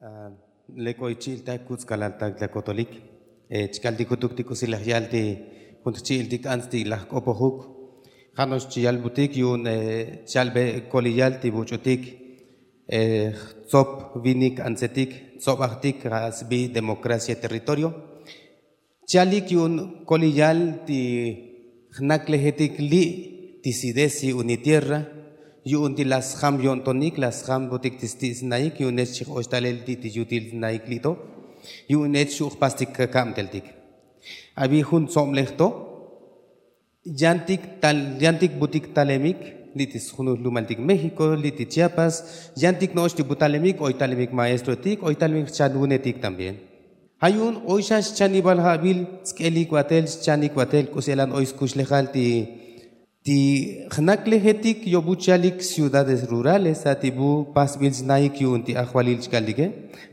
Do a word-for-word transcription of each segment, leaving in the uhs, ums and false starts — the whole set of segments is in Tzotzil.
Lek oy chi'iltak kutz'kalaltak la kotolik. Chkaltik jutuk ti k'usi laj yal ti jun jchi'iltik ants ti laj k'opojuk. Ja' no'ox chiyalbutik yu'un chalbe koliyal ti buch'utik, jtzop vinik antsetik, jtzobajtik ja' sbi democracia territorio. Chalik yu'un koliyal ti jnaklejetik li' ti sidesi unitierra, yu'un ti la sjam yo'ntonik la sjambutik ti sti' snaik yu'un nech chij'oxtalel li' ti yutil snaik li' to. Yu'un nech xu' jpastik kakabteltik. Abi jun tzoblej to yantik tal yantik butik talemik li' ti sjunul lumaltik méxiko li' ti chiapas. Yantik no'ox ti butalemik oy talemik maestrotik oy talemik jchanwunetik también. Ja' yu'un oy xa xchanibal ja'bil tsk'elik batel xchanik batel k'usi elan oy skuxlejal ti ti jnaklejetik yo'bu chalik ciudades rurales a ti bu pasbil snaik yu'un ti ajvalil chkaltike.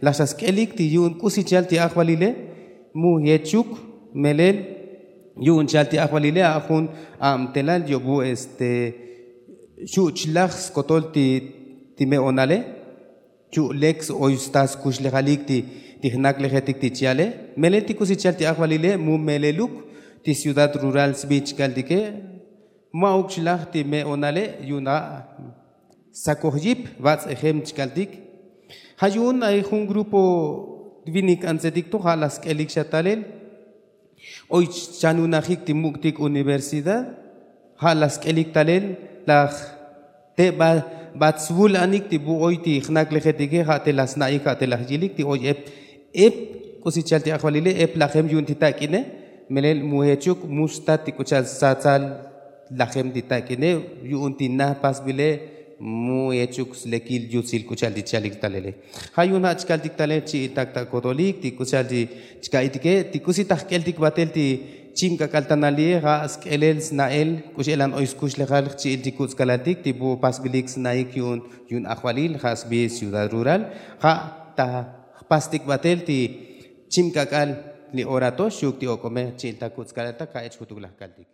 Laj xa sk'elik ti yu'un k'usi chal ti ajvalile mu yechuk melel yu'un chal ti ajvalile a jun abtelal yo'bu este xu' chlaj skotol ti ti me'onale. Chu' lek oy sta skuxlejalik ti jnaklejetik ti chiale melel ti k'usi chal ti ajvalile mu meleluk ti ciudad rural sbi chkaltike. Ma'uk xlaj ti me'onale yu'un a' sakoj yip bats'ejem chkaltik. Ja' yu'un ay jun grupo vinik antsetik to ja' la sk'elik xa talel oy chanunajik ti muk'tik universidad. Ja' la sk'elik talel laj te ba bat svul anik ti bu oy ti jnaklejetike ja' te la sna'ik ja' te laj yilik ti oy ep ep k'usi chal ti ajvalile ep lajem yu'un ti tak'ine. Melel mu jechuk mu stat ti k'u chal satsal lajem ti tak'ine yu'un ti na pasbile mu jechuk slekil yutsil k'u chal ti chalik talele. Ja' yu'un ja' chkaltik talel chi'iltak ta kotolik ti k'u chal ti chka'itike ti k'usi ta jk'eltik batel ti chim k'ak'al tanali'e ja' sk'elel sna'el k'u x'elan oy skuxlejal jchi'il ti kutz'kalaltik ti bu pasbilik sna'ik yu'un yu'un ajvalil ja' sbi ciudad rural. Ja' ta jpastik batel ti chim k'ak'al li ora to xuk ti ok'ome jchi'iltak kutz'kalaltak ja' ech jutuk laj kaltik.